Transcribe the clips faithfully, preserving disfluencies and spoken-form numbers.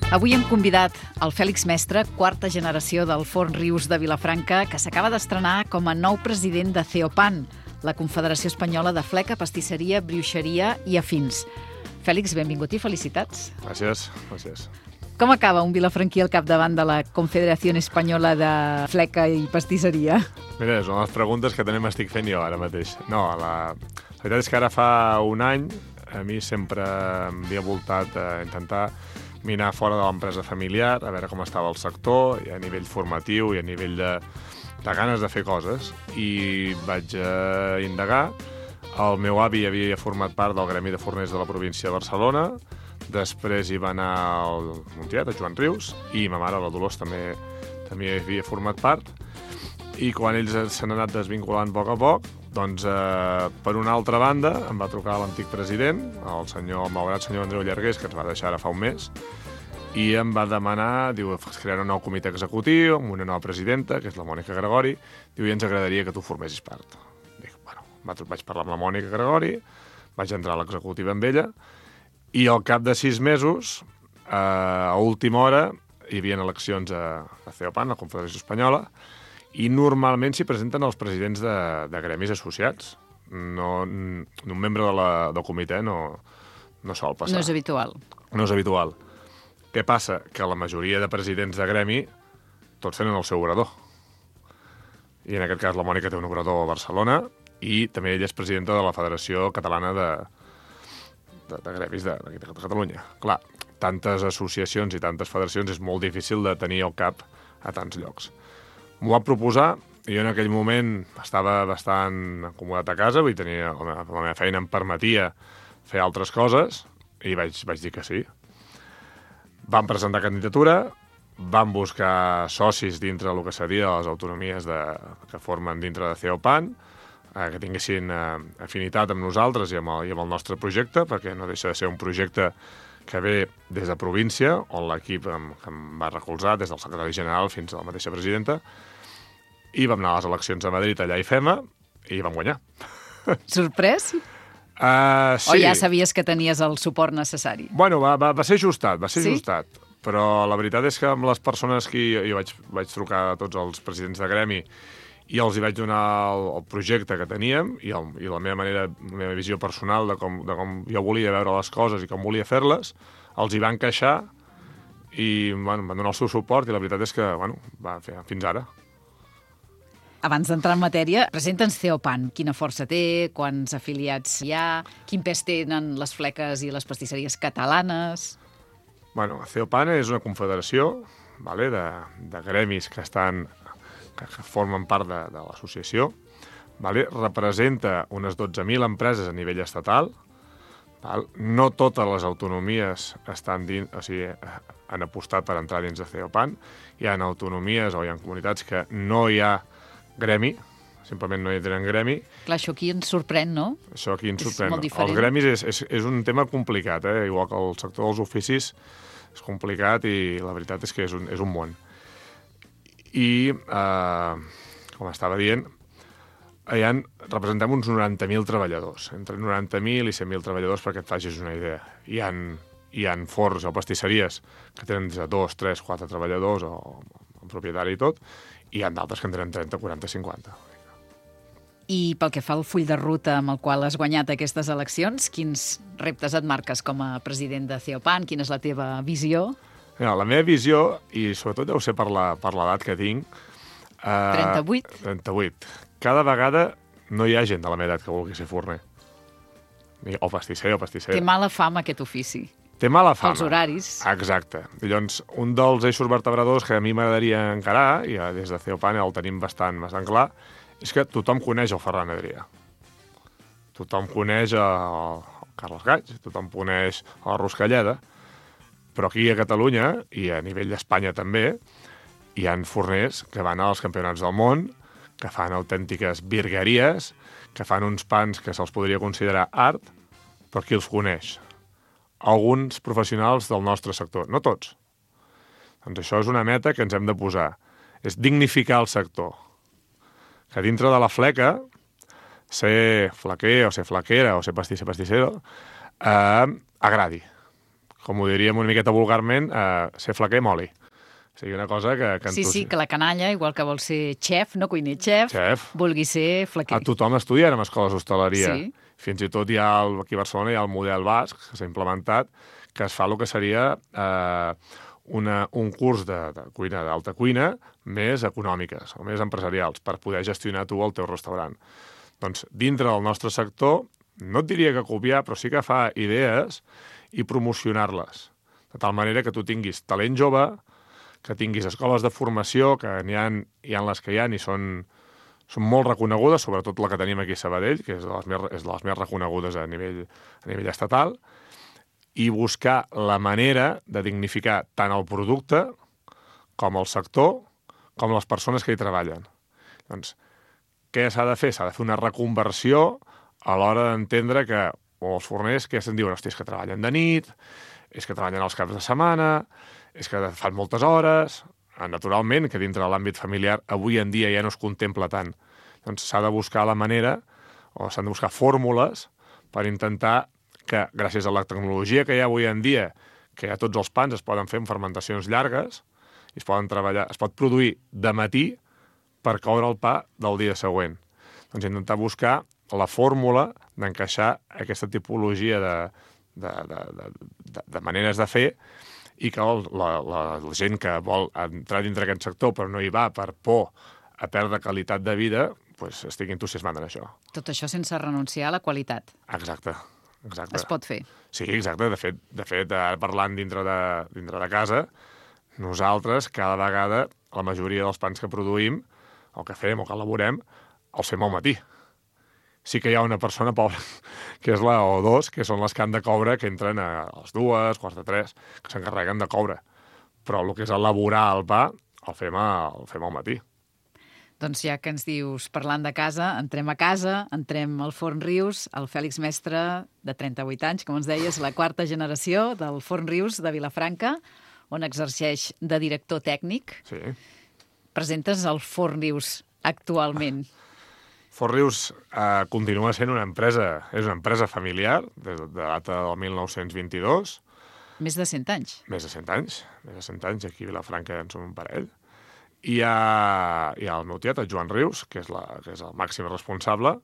Avui hem convidat el Fèlix Mestre, quarta generació del Forn Rius de Vilafranca, que s'acaba d'estrenar com a nou president de Ceopan, la Confederació Espanyola de Fleca, Pastisseria, Brioixeria i Afins. Fèlix, benvingut i felicitats. Gràcies, gràcies. Com acaba un vilafranquí al capdavant de la Confederació Espanyola de Fleca i Pastisseria? Mira, és una de les preguntes que també m'estic fent jo ara mateix. No, la, la veritat és que ara fa un any a mi sempre m'havia voltat a intentar mirar fora de l'empresa familiar, a veure com estava el sector, i a nivell formatiu i a nivell de, de ganes de fer coses. I vaig eh, indagar. El meu avi havia format part del Gremi de Forners de la província de Barcelona, després hi va anar el Montiet, el Joan Rius, i ma mare, la Dolors, també, també havia format part. I quan ells s'han anat desvinculant a poc a poc, doncs, eh, per una altra banda, em va trucar l'antic president, el senyor, el malgrat senyor Andreu Llargués, que ens va deixar ara fa un mes, i em va demanar, diu, crear un nou comitè executiu amb una nova presidenta, que és la Mònica Gregori, diu, i ens agradaria que tu formessis part. Dic, bueno, vaig parlar amb la Mònica Gregori, vaig entrar a l'executiva amb ella, i al cap de sis mesos, eh, a última hora, hi havia eleccions a, a Ceopan, la Confederació Espanyola, i normalment s'hi presenten els presidents de, de gremis associats. No, un membre de la, del comitè no, no sol passar. No és habitual. No és habitual. Què passa? Que la majoria de presidents de gremi tots tenen el seu obrador. I en aquest cas la Mònica té un obrador a Barcelona i també ella és presidenta de la Federació Catalana de, de, de Gremis de, de, de Catalunya. Clar, tantes associacions i tantes federacions és molt difícil de tenir al cap a tants llocs. M'ho va proposar, i jo en aquell moment estava bastant acomodat a casa, vull tenir, la meva, la meva feina em permetia fer altres coses, i vaig, vaig dir que sí. Vam presentar candidatura, vam buscar socis dintre del que seria les autonomies de, que formen dintre de Ceopan, eh, que tinguessin eh, afinitat amb nosaltres i amb, el, i amb el nostre projecte, perquè no deixa de ser un projecte que ve des de província, on l'equip em, em va recolzar, des del secretari general fins a la mateixa presidenta, i vam anar a les eleccions a Madrid, allà hi fem, i vam guanyar. Sorprès? Uh, sí. O ja sabies que tenies el suport necessari? Bueno, va, va, va ser ajustat, va ser sí? ajustat. Però la veritat és que amb les persones que jo, jo vaig, vaig trucar a tots els presidents de gremi i els hi vaig donar el, el projecte que teníem i, el, i la meva manera, la meva visió personal de com, de com jo volia veure les coses i com volia fer-les, els hi van queixar i bueno, van donar el seu suport i la veritat és que bueno, va fer fins ara. Abans d'entrar en matèria, presenta'ns Ceopan. Quina força té, quants afiliats hi ha, quin pes tenen les fleques i les pastisseries catalanes? Bueno, Ceopan és una confederació vale, de, de gremis que estan que formen part de, de l'associació, vale? Representa unes dotze mil empreses a nivell estatal. Val? No totes les autonomies estan dins, o sigui, han apostat per entrar dins de Ceopan. Hi ha autonomies o hi ha comunitats que no hi ha gremi, simplement no hi tenen gremi. Clar, això aquí ens sorprèn, no? Això aquí ens sorprèn. És molt diferent. Els gremis és, és, és un tema complicat, eh? Igual que el sector dels oficis és complicat i la veritat és que és un, és un món. I, eh, com estava dient, hi ha, representem uns noranta mil treballadors, entre noranta mil i cent mil treballadors, perquè et facis una idea. Hi ha, hi ha forns o pastisseries que tenen des de dos, tres, quatre treballadors o un propietari i tot, i hi ha d'altres que en tenen trenta, quaranta, cinquanta. I pel que fa al full de ruta amb el qual has guanyat aquestes eleccions, quins reptes et marques com a president de Ceopan? Quina és la teva visió? Mira, la meva visió, i sobretot deu ser per la, per l'edat que tinc... Eh, trenta-vuit? trenta-vuit. Cada vegada no hi ha gent de la meva edat que vulgui ser forner. O pastisser o pastisser. Té mala fama aquest ofici. Té mala fama. Els horaris. Exacte. Llavors, un dels eixos vertebradors que a mi m'agradaria encarar, i des de Ceopan el tenim bastant, bastant clar, és que tothom coneix el Ferran Adrià. Tothom coneix el Carles Gaig, tothom coneix la Ruscalleda, però aquí a Catalunya, i a nivell d'Espanya també, hi ha forners que van als campionats del món, que fan autèntiques virgueries, que fan uns pans que se'ls podria considerar art, però qui els coneix? Alguns professionals del nostre sector, no tots. Doncs això és una meta que ens hem de posar. És dignificar el sector. Que dintre de la fleca, ser flequer o ser flequera o ser pastisser pastissero, eh, agradi. com ho diríem una miqueta vulgarment, eh, ser flaquer i moli. O sigui, una cosa que... que sí, tu... sí, que la canalla, igual que vol ser xef, no cuiner xef, Xef. vulgui ser flaquer. A tothom estudia en escoles d'hostaleria. Sí. Fins i tot hi ha, el, aquí a Barcelona, hi ha el model basc, que s'ha implementat, que es fa el que seria eh, una, un curs de, de cuina, d'alta cuina, més econòmiques, o més empresarials, per poder gestionar tu el teu restaurant. Doncs, dintre del nostre sector, no et diria que copiar, però sí que fa idees i promocionar-les. De tal manera que tu tinguis talent jove, que tinguis escoles de formació, que n'hi ha, hi ha les que hi ha i són, són molt reconegudes, sobretot la que tenim aquí a Sabadell, que és de les més, és de les més reconegudes a nivell, a nivell estatal, i buscar la manera de dignificar tant el producte com el sector, com les persones que hi treballen. Doncs, què s'ha de fer? S'ha de fer una reconversió a l'hora d'entendre que o els forners que se'n diuen, hosti, és que treballen de nit, és que treballen els caps de setmana, és que fan moltes hores. Naturalment, que dintre de l'àmbit familiar avui en dia ja no es contempla tant. Doncs s'ha de buscar la manera, o s'han de buscar fórmules per intentar que, gràcies a la tecnologia que hi ha avui en dia, que ja tots els pans es poden fer en fermentacions llargues, i es poden treballar, es pot produir de matí per coure el pa del dia següent. Doncs intentar buscar la fórmula d'encaixar aquesta tipologia de, de, de, de, de, de maneres de fer i que el, la, la, la gent que vol entrar dintre aquest sector però no hi va per por a perdre qualitat de vida, pues, estigui entusiasmat en això. Tot això sense renunciar a la qualitat. Exacte. Exacte. Es pot fer. Sí, exacte. De fet, de fet ara parlant dintre de, dintre de casa, nosaltres cada vegada, la majoria dels pans que produïm, o que fem o que elaborem, els fem al matí. Sí que hi ha una persona pobra, que és la o dos, que són les que han de coure, que entren a les dues, quarts de tres, que s'encarreguen de coure. Però el que és elaborar el pa, el fem, a, el fem al matí. Doncs ja que ens dius, parlant de casa, entrem a casa, entrem al Forn Rius, el Fèlix Mestre, de trenta-vuit anys, com ens deies, la quarta generació del Forn Rius de Vilafranca, on exerceix de director tècnic. Sí. Presentes el Forn Rius actualment. Forn Rius eh, continua sent una empresa, és una empresa familiar, des de data del mil nou-cents vint-i-dos. Més de cent anys. Més de cent anys, més de cent anys, aquí a Vilafranca en som un parell. I hi ha, hi ha el meu tiet, el Joan Rius, que és, la, que és el màxim responsable,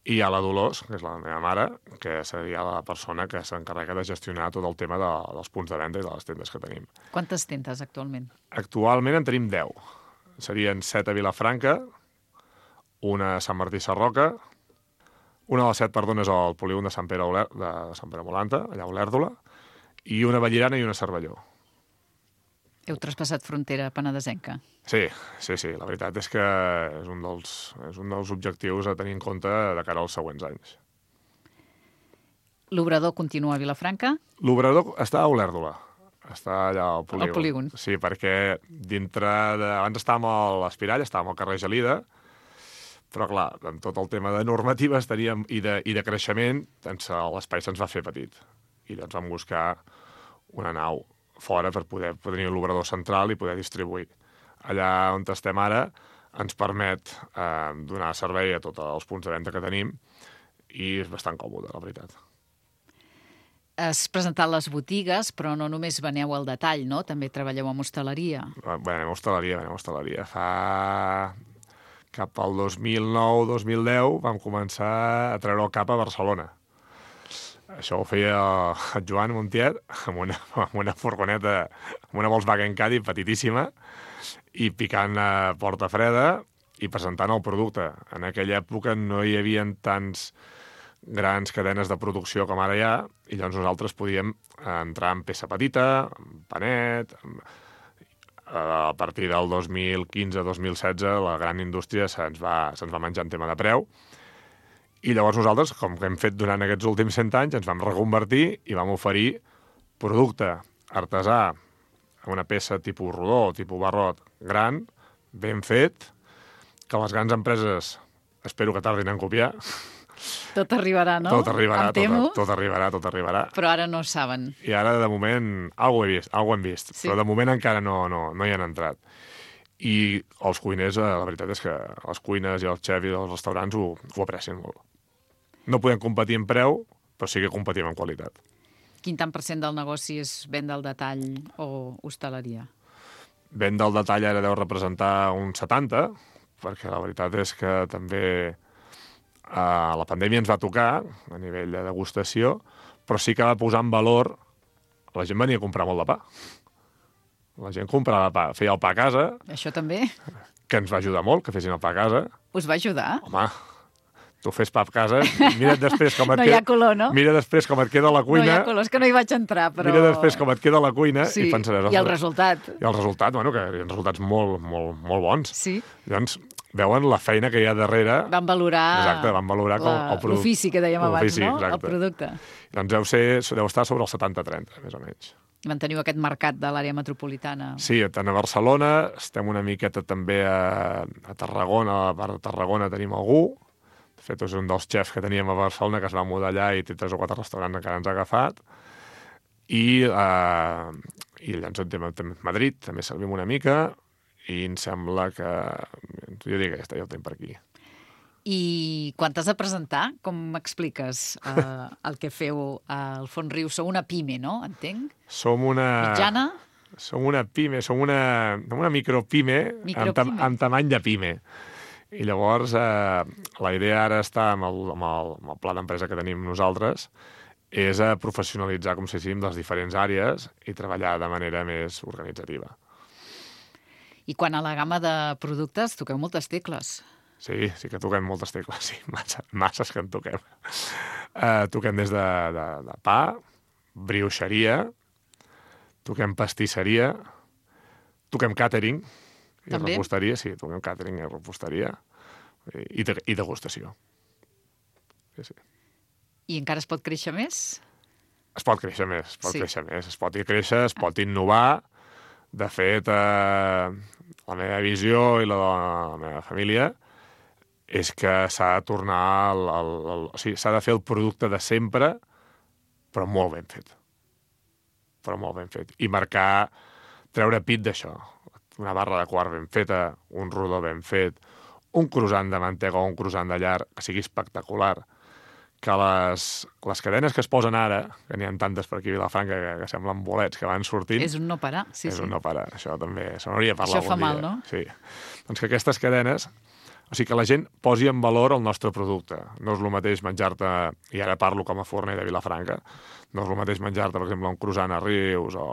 i hi ha la Dolors, que és la meva mare, que seria la persona que s'encarrega de gestionar tot el tema de, dels punts de venda i de les tendes que tenim. Quantes tendes actualment? Actualment en tenim deu. Serien set a Vilafranca, una a Sant Martí Sarroca, una de les set, perdó, és al polígon de Sant Pere, Oler, de Sant Pere Molanta, allà a Olèrdola, i una a Vallirana i una a Cervelló. Heu traspassat frontera penedesenca. Sí, sí, sí. La veritat és que és un dels, és un dels objectius a tenir en compte de cara als següents anys. L'obrador continua a Vilafranca? L'obrador està a Olèrdola. Està allà al polígon. Al polígon. Sí, perquè dintre de... Abans estàvem a l'Espirall, estàvem al carrer Gelida, però, clar, amb tot el tema de normatives teníem, i, de, i de creixement, doncs, l'espai se'ns va fer petit. I llavors vam buscar una nau fora per poder, poder tenir l'obrador central i poder distribuir. Allà on estem ara ens permet eh, donar servei a tots els punts de venda que tenim i és bastant còmode, la veritat. Has presentat les botigues, però no només veneu al detall, no? També treballeu amb hostaleria. Venem a hostaleria, venem a hostaleria. Fa... cap al dos mil nou dos mil deu vam començar a treure el cap a Barcelona. Això ho feia el Joan Montiet amb una, amb una furgoneta, amb una Volkswagen Caddy petitíssima, i picant a porta freda i presentant el producte. En aquella època no hi havia tants grans cadenes de producció com ara hi ha, i llavors nosaltres podíem entrar en peça petita, en panet... A partir del dos mil quinze dos mil setze la gran indústria se'ns va, se'ns va menjar en tema de preu, i llavors nosaltres, com que hem fet durant aquests últims cent anys, ens vam reconvertir i vam oferir producte artesà, una peça tipus rodó, tipus barrot, gran, ben fet, que les grans empreses espero que tardin en copiar. Tot arribarà, no? Tot arribarà, em temo. tot, tot arribarà, tot arribarà. Però ara no saben. I ara, de moment, alguna he vist, alguna hem vist, sí. Però de moment encara no, no, no hi han entrat. I els cuiners, la veritat és que les cuines i els xefs i els restaurants ho, ho aprecien molt. No podem competir en preu, però sí que competim en qualitat. Quin tant per cent del negoci és venda al detall o hostaleria? Venda al detall ara deu representar un setanta, perquè la veritat és que també eh, la pandèmia ens va tocar a nivell de degustació, però sí que va posar en valor... La gent venia a comprar molt de pa. La gent comprava pa, feia el pa a casa... Això també? Que ens va ajudar molt, que fessin el pa a casa. Us va ajudar? Home, tu fes pa a casa, mira't després com et no queda... hi ha color, no? Mira després com et queda la cuina... No hi ha color, és que no hi vaig entrar, però... Mira després com et queda la cuina sí. i pensaràs... I el resultat. I el resultat, bueno, que hi ha resultats molt, molt, molt bons. Sí. Llavors, veuen la feina que hi ha darrere... Van valorar... Exacte, van valorar la... el producte. L'ofici que dèiem abans, no? Exacte. El producte. Doncs deu, ser, deu estar sobre el setanta trenta, més o menys. Manteniu aquest mercat de l'àrea metropolitana. Sí, tant a Barcelona, estem una miqueta també a, a Tarragona, a la part de Tarragona tenim algú. De fet, és un dels xefs que teníem a Barcelona que es va mudar allà i té tres o quatre restaurants que ens ha agafat. I, eh, i llavors en tema, també Madrid, també servim una mica i em sembla que... Jo dic que ja està, ja ho tenim per aquí. I quan t'has de presentar, com m'expliques eh, el que feu al Forn Rius? Sou una pime, no? Entenc? Som una... Mitjana? Som una pime, som una, una micropime, micropime. Amb, tam, amb tamany de pime. I llavors eh, la idea ara està amb el, amb el, amb el pla d'empresa que tenim nosaltres és a professionalitzar, com si diguéssim, les diferents àrees i treballar de manera més organitzativa. I quan a la gamma de productes toqueu moltes tecles. Sí, sí que toquem moltes tecles, sí, massa, masses que en toquem. Uh, toquem des de, de, de pa, brioixeria, toquem pastisseria, toquem càtering i També? reposteria, sí, toquem càtering i reposteria i, de, i degustació. Sí, sí. I encara es pot créixer més? Es pot créixer més, es pot Sí. créixer més, es pot créixer, es pot innovar. De fet, eh, la meva visió i la de la meva família és que s'ha de tornar al, al, al, o sigui, s'ha de fer el producte de sempre, però molt ben fet. Però molt ben fet. I marcar, treure pit d'això. Una barra de quart ben feta, un rodó ben fet, un croissant de mantega o un croissant de llar que sigui espectacular. Que les, les cadenes que es posen ara, que n'hi ha tantes per aquí a Vilafranca que, que semblen bolets que van sortint... És un no parar, sí, és sí. un no parar. Això també se n'hauria de parlar Això fa algun mal, dia. no? Sí. Doncs que aquestes cadenes... O sigui, que la gent posi en valor el nostre producte. No és el mateix menjar-te, i ara parlo com a forner de Vilafranca, no és el mateix menjar-te, per exemple, un croissant a Rius o,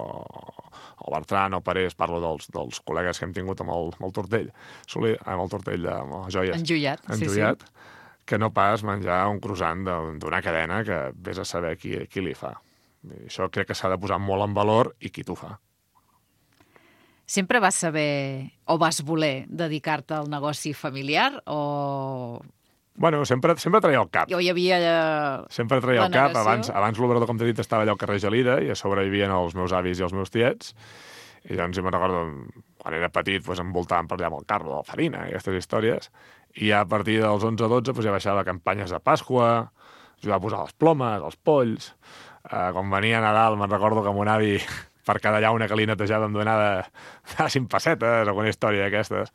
o Bertran o Parés, parlo dels, dels col·legues que hem tingut amb el, amb el Tortell, Soler, amb el Tortell, amb les joies. Enjoiat, sí, Enjoiat, sí. Que no pas menjar un croissant d'una cadena que vés a saber qui, qui li fa. I això crec que s'ha de posar molt en valor i qui t'ho fa. Sempre vas saber o vas voler dedicar-te al negoci familiar o... Bueno, sempre, sempre traia el cap. O hi havia... Eh, sempre traia el cap. negació? Abans, abans l'obrador, com t'he dit, estava allà al carrer Gelida i a sobre hi havia els meus avis i els meus tiets. I llavors, jo me'n recordo, quan era petit, doncs, em voltàvem per allà amb el carro de la farina i aquestes històries. I ja a partir dels onze a dotze doncs, ja baixava campanyes de Pasqua, ajudava a posar les plomes, els polls. Eh, quan venia Nadal, me'n recordo que mon avi... per cada llauna que li netejava em donava de cinc pessetes, alguna història d'aquestes.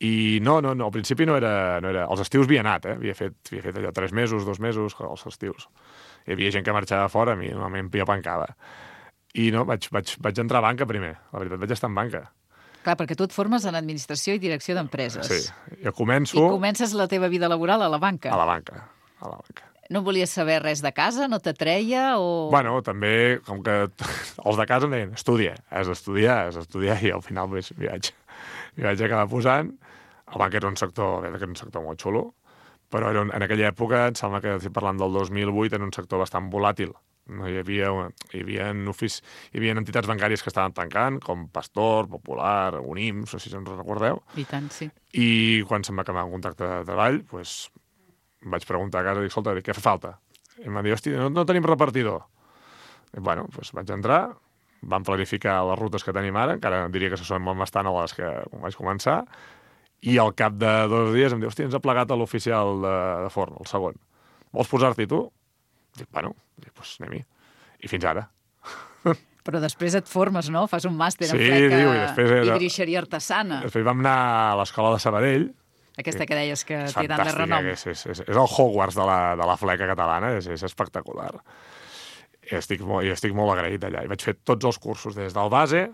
I no, no, no, al principi no era... No era... Els estius havia anat, eh? Havia fet, havia fet allò tres mesos, dos mesos, els estius. Hi havia gent que marxava fora, a mi normalment jo pancava. I no, vaig, vaig, vaig entrar a banca primer. La veritat, vaig estar en banca. Clar, perquè tu et formes en administració i direcció d'empreses. Sí, jo començo... I comences la teva vida laboral a la banca. A la banca, a la banca. No volies saber res de casa? No t'atreia? O... Bueno, també, com que els de casa em deien, estudia, has d'estudiar, has d'estudiar, i al final pues, m'hi vaig, m'hi vaig acabar posant. El banc era un sector, era un sector molt xulo, però era un, en aquella època, em sembla que estic parlant del dos mil vuit, era un sector bastant volàtil. No hi havia, hi havia, ofici, hi havia entitats bancàries que estaven tancant, com Pastor, Popular, Unims, no sé si ens recordeu. I tant, sí. I quan se'm va acabar un contracte de treball, doncs, vaig preguntar a casa, dic, escolta, què fa falta? I em va dir, hosti, no, no tenim repartidor. I, bueno, doncs vaig entrar, vam planificar les rutes que tenim ara, encara diria que se són molt bastant a les que vaig començar, i al cap de dos dies em diu, hosti, ens ha plegat a l'oficial de, de forn, el segon. Vols posar-t'hi tu? Dic, bueno, dic, doncs anem-hi. I fins ara. Però després et formes, no? Fas un màster sí, en fleca diu, i, després era... i brioixeria artesana. Després vam anar a l'escola de Sabadell. Aquesta que deies que és té tant de renom. És, és, és, és el Hogwarts de la, de la fleca catalana, és, és espectacular. I estic, molt, i estic molt agraït allà. I vaig fer tots els cursos, des del base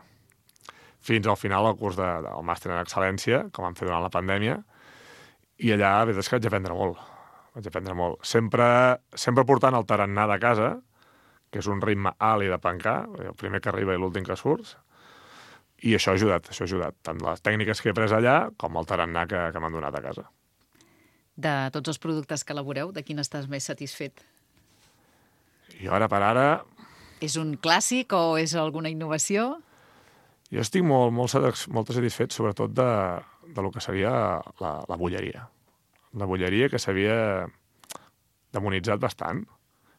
fins al final el curs de, del màster en excel·lència, que vam fer durant la pandèmia, i allà, la veritat és que vaig aprendre molt. Vaig aprendre molt. Sempre, sempre portant el tarannà de casa, que és un ritme alt i de pencar, el primer que arriba i l'últim que surt, i això ha ajudat, això ha ajudat, tant les tècniques que he pres allà com el tarannà que, que m'han donat a casa. De tots els productes que elaboreu, de quin estàs més satisfet? I ara per ara... És un clàssic o és alguna innovació? Jo estic molt, molt, molt satisfet, sobretot de, de lo que seria la, la bulleria. La bulleria que s'havia demonitzat bastant,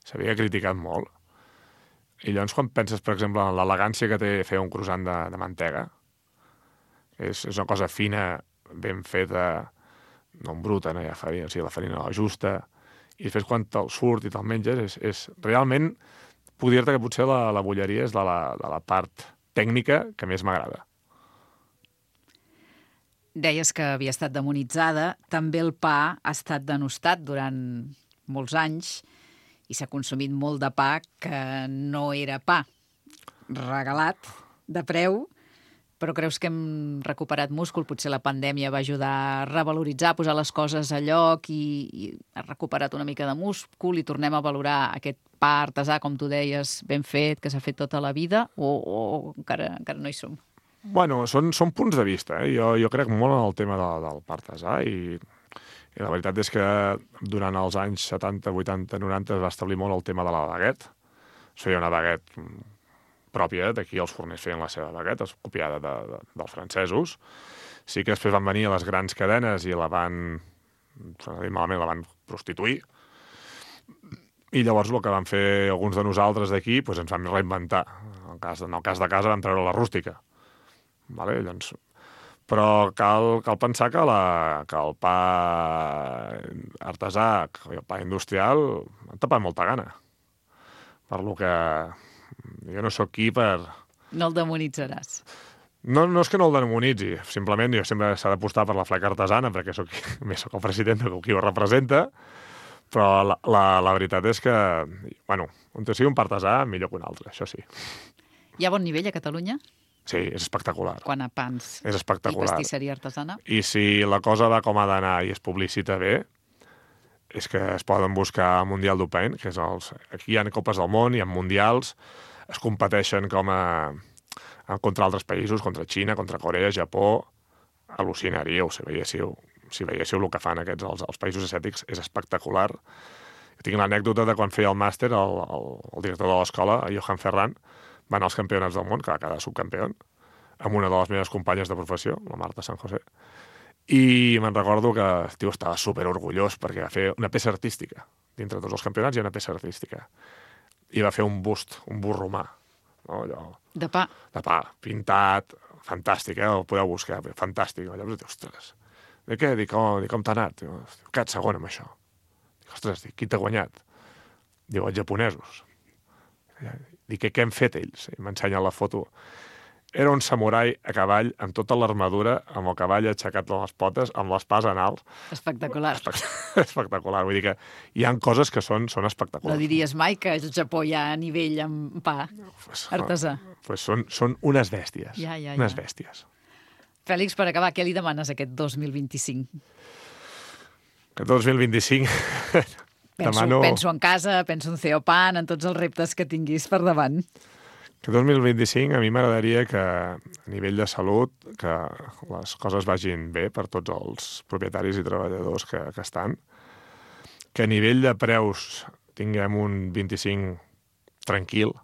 s'havia criticat molt. I llavors, quan penses, per exemple, en l'elegància que té fer un croissant de, de mantega, és, és una cosa fina, ben feta, no en bruta, no hi ha farina, o sigui, la farina la justa, i després quan te'l surt i te'l menges, és, és realment, puc dir-te que potser la, la bulleria és de la, de la part tècnica que més m'agrada. Deies que havia estat demonitzada, també el pa ha estat denostat durant molts anys i s'ha consumit molt de pa que no era pa, regalat, de preu, però creus que hem recuperat múscul? Potser la pandèmia va ajudar a revaloritzar, a posar les coses a lloc i, i ha recuperat una mica de múscul i tornem a valorar aquest pa artesà, com tu deies, ben fet, que s'ha fet tota la vida, o, o encara, encara no hi som? Bueno, són, són punts de vista. Eh? Jo, jo crec molt en el tema de, del pa artesà i, i la veritat és que durant els anys setanta, vuitanta, noranta es va establir molt el tema de la baguette. Es feia una baguette pròpia, d'aquí els forners feien la seva baguette, copiada de, de, dels francesos. Sí que després van venir a les grans cadenes i la van, malament, la van prostituir. I llavors el que van fer alguns de nosaltres d'aquí, doncs ens vam reinventar. En el cas, en el cas de casa vam treure la rústica. Vale? Llavors, però cal, cal pensar que, la, que el pa artesà i el pa industrial han tapat molta gana. Per lo que jo no sóc qui per... No el demonitzaràs. No, no és que no el demonitzi, simplement jo sempre s'ha d'apostar per la fleca artesana, perquè soc, més soc el president de qui ho representa, però la, la, la veritat és que, bueno, on sigui un pa artesà, millor que un altre, això sí. Hi ha bon nivell a Catalunya? Sí, és espectacular. Quan a pans és espectacular. I pastisseria artesana? I si la cosa va com ha d'anar i es publicita bé, és que es poden buscar el Mundial d'Open, que és els... Aquí hi ha copes del món, hi ha mundials, es competeixen com a... contra altres països, contra Xina, contra Corea, Japó, al·lucinaríeu si veiéssiu, si veiéssiu el que fan aquests, els, els països asiàtics, és espectacular. Jo tinc l'anècdota de quan feia el màster, el, el, el director de l'escola, Johan Ferran, va anar als campionats del món, que va quedar subcampió, amb una de les meves companyes de professió, la Marta San José, i me'n recordo que el tio estava superorgullós perquè va fer una peça artística. Dintre de tots els campionats hi ha una peça artística. I va fer un bust, un bust romà. No? Allò, de pa. De pa, pintat, fantàstic, eh? El podeu buscar, fantàstic. Llavors dic, ostres, de què? Dic, oh, dic com t'ha anat? Dic, quedat segon amb això. Dic, ostres, dic, qui t'ha guanyat? Diu, els japonesos. Dic, què hem fet ells? I m'ensenya la foto. Era un samurai a cavall amb tota l'armadura, amb el cavall aixecat de les potes, amb l'espasa en alt. Espectacular. Espectacular. Vull dir que hi ha coses que són, són espectaculars. No diries mai que al Japó hi ha nivell amb pa pues, artesà. Pues són, són unes bèsties. Ja, ja, unes ja. bèsties. Fèlix, per acabar, què li demanes aquest dos mil vint-i-cinc? Aquest dos mil vint-i-cinc... Penso, demano... penso en casa, penso en Ceopan, en tots els reptes que tinguis per davant. Que dos mil vint-i-cinc a mi m'agradaria que a nivell de salut que les coses vagin bé per tots els propietaris i treballadors que, que estan, que a nivell de preus tinguem un vint-i-cinc tranquil,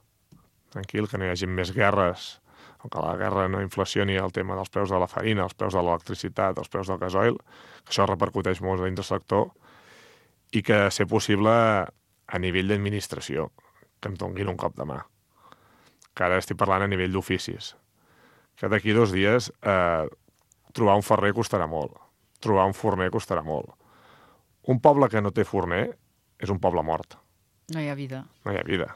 tranquil, que no hi hagi més guerres, o que la guerra no inflacioni el tema dels preus de la farina, els preus de l'electricitat, els preus del gasoil, que això repercuteix molt dins del sector, i que, ser possible, a nivell d'administració, que em donguin un cop de mà. Que ara estic parlant a nivell d'oficis, que d'aquí dos dies eh, trobar un ferrer costarà molt, trobar un forner costarà molt. Un poble que no té forner és un poble mort. No hi ha vida. No hi ha vida.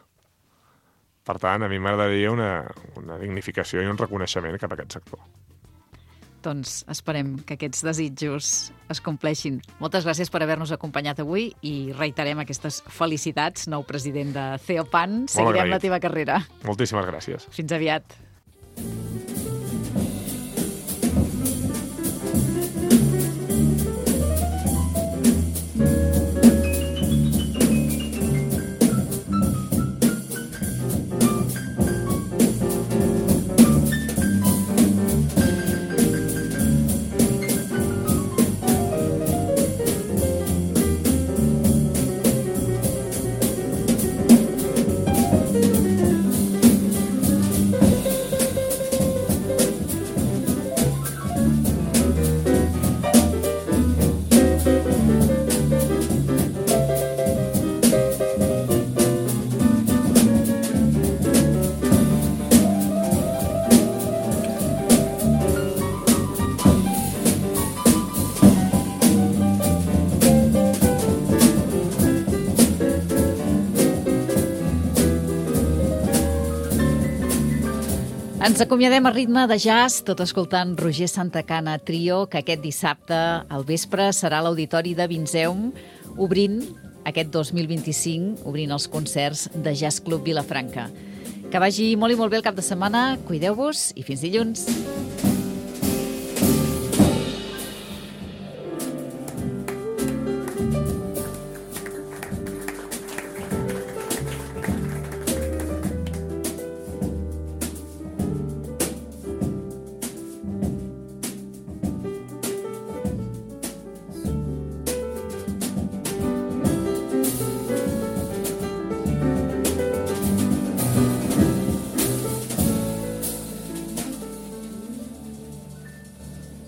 Per tant, a mi m'agradaria una, una dignificació i un reconeixement cap a aquest sector. Doncs esperem que aquests desitjos es compleixin. Moltes gràcies per haver-nos acompanyat avui i reiterem aquestes felicitats, nou president de Theopan. Seguirem la teva carrera. Moltíssimes gràcies. Fins aviat. Ens acomiadem a ritme de jazz, tot escoltant Roger Santacana Trio, que aquest dissabte al vespre serà a l'Auditori de Vinzeum, obrint aquest dos mil vint-i-cinc, obrint els concerts de Jazz Club Vilafranca. Que vagi molt i molt bé el cap de setmana, cuideu-vos i fins dilluns.